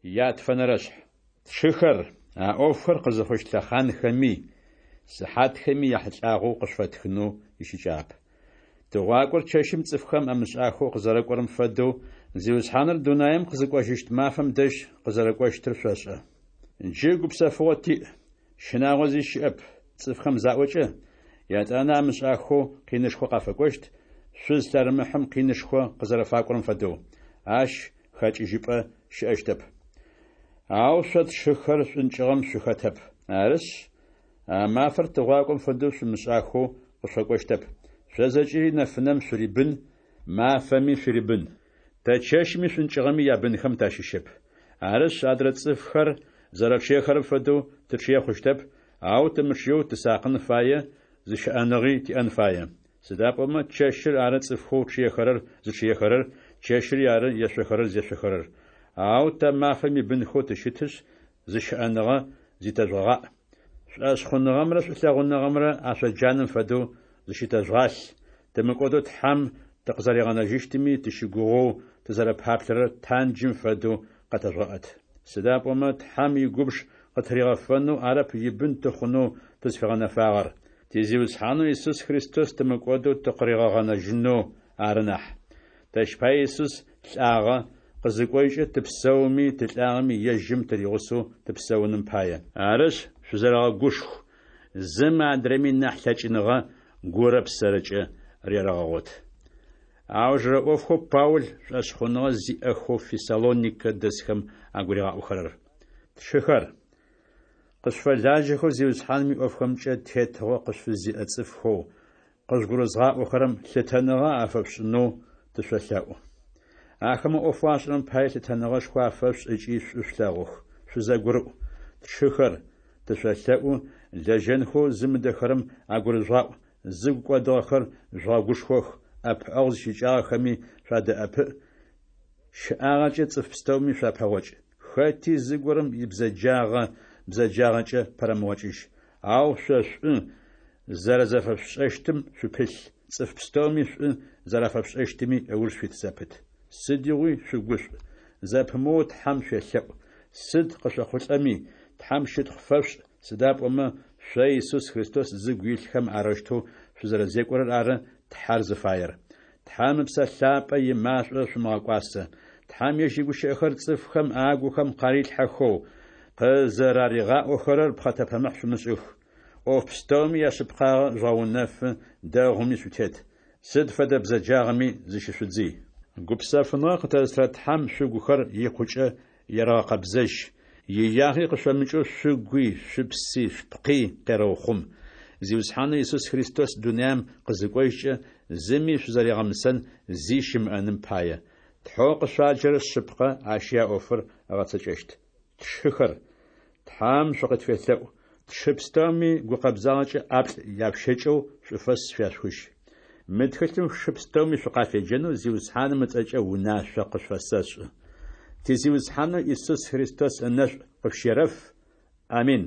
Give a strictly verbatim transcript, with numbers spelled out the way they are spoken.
Ятфэнэрэшъхь. Тшыхэр, а ӏофхэр къызыхъущт лъэхъанхэми, сыхьатхэми яхьылӏагъэу къышъуфэтхынэу ищыкӏагъэп. Тыгъуакӏор чэщым цӏыфхэм амышӏахэу къызэрэкӏорэм фэдэу, Зиусхьаныр дунаем къызыкӏожьыщт мафэм дэжь къызэрэкӏощтыр шъошӏэ. Джы гупсэфыгъо тиӏ, щынагъо зи щыӏэп, цӏыфхэм заӏокӏэ, етӏанэ амышӏахэу къинышхо къафэкӏощт, шъуз лъэрымыхьым къинышхо къызэрэфакӏорэм фэдэу. Ащ хэкӏыжьыпӏэ щыӏэщтэп. Ау шъо тшыхэр шӏункӏыгъэм шъухэтэп. Арышъ, а мафэр тыгъуакӏом фэдэу шъумышӏахэу къышъуфэкӏощтэп. Шъо зэкӏэри нэфынэм шъурибын, мафэми шъурибын. Тэ чэщми шӏункӏыгъэми ябынхэм тащыщэп. Арышъ, адрэ цӏыфхэр зэрэчъыехэрэм фэдэу тычъые хъущтэп, ау тымычъыеу тысакъын фае, зыщыӏэныгъи тиӏэн фае. Сыда пӏомэ чэщыр ары цӏыфхэу чъыехэрэр зычъыехэрэр, чэщыри ары ешъохэрэр зешъохэрэр. Ау тэ мафэм ибынхэу тыщытышъ, зыщыӏэныгъэ зитэжъугъаӏ. Шӏошъхъуныгъэмрэ шӏулъэгъуныгъэмрэ ашъоджанэм фэдэу зыщытэжъугъалъ, тымыкӏодэу Тхьэм тыкъызэригъэнэжьыщтыми тыщыгугъэу тызэрэпаплъэрэр танджым фэдэу къэтэжъугъэӏэт. Сыда пӏомэ Тхьэм игубж къытыригъэфэнэу арэп ибын тыхъунэу тызфигъэнэфагъэр, ти Зиусхьанэу Исус Христос тымыкӏодэу тыкъыригъэгъэнэжьынэу ары нахь. Тэщ пае Исус лӏагъэ, къызыкӏожькӏэ тыпсэуми тылӏагъэми ежьым тыригъусэу тыпсэуным пае. Арышъ, шъузэрэгъэгушху, зым адрэми нахь лъэкӏыныгъэ гурэ псэрэкӏэ рерэгъэгъот. Аужырэ ӏофхэу Паул шӏошъхъуныгъэ зиӏэхэу Фессалоникэ дэсхэм агуригъаӏохэрэр. Тшыхэр, къышъуфэлажьэхэу Зиусхьаным иӏофхэмкӏэ тетыгъо къышъуфызиӏэ цӏыфхэу къыжъугурызгъаӏохэрэм лъытэныгъэ афэшъушӏынэу тышъолъэӏу. Ахэмэ ӏофэу ашӏэрэм пае лъытэныгъэшхо афэшъушӏ ыкӏи шӏу шъулъэгъух, шъузэгурыӏу. Тшыхэр, тышъолъэӏу, лэжьэнхэу зымыдэхэрэм агурыжъугъаӏу, зыгу кӏодыгъэхэр жъугъэгушхох, ӏэпыӏэгъу зищыкӏагъэхэми шъуадэӏэпыӏ, щэӏагъэкӏэ цӏыф пстэуми шъуапэгъокӏ. Хэти зыгорэм ибзэджагъэ бзэджагъэкӏэ пэрэмыгъокӏыжь. Ау шъо шӏу зэрэзэфэшъушӏэщтым шъупылъ, цӏыф пстэуми шӏу зэрафэшъушӏэщтыми ыуж шъуит зэпыт. Сыдигъуи шъугушӏу, зэпымыоу Тхьэм шъуелъэӏу, сыд къышъохъулӏэми, Тхьэм щытхъу фэшъушӏ, сыда пӏомэ шъо Исус Христос зыгу илъхэм арэущтэу шъузэрэзекӏорэр ары Тхьэр зыфаер. Тхьэм Ыпсэ Лъапӏэ имашӏо шъумыгъэкӏуасэ. Тхьэм ежь игущыӏэхэр цӏыфхэм агухэм къарилъхьэхэу, къызэраригъаӏохэрэр пхъэтэпэмыхь шъумышӏых. ӏоф пстэуми яшъыпкъагъэ жъугъэунэфы, дэгъуми шъутет. Сыд фэдэ бзэджагъэми зыщышъудзый. Гупсэфыныгъэ къытэзытырэ Тхьэм шъугухэр икъукӏэ ерэгъэкъэбзэжь, иягъи къышъомыкӏэу шъугуи, шъупси, шъупкъи къерэухъум. Зиусхьанэу Исус Христос дунаем къызыкӏожькӏэ, зыми шъузэригъэмысэн зи щымыӏэным пае. Тхьэу къышъуаджэрэр шъыпкъэ, ащи а ӏофыр ыгъэцэкӏэщт. Тшыхэр, Тхьэм шъукъытфелъэӏу. Тшы пстэуми гукъэбзагъэкӏэ ӏаплӏ яшъущэкӏэу шӏуфэс шъуяшъухыжь. Мы тхылъым шы пстэуми шъукъафеджэнэу Зиусхьаным ыцӏэкӏэ унашъо къышъуфэсэшӏы. Ти Зиусхьанэу Исус Христос ынэшӏу къышъущерэф. Амин.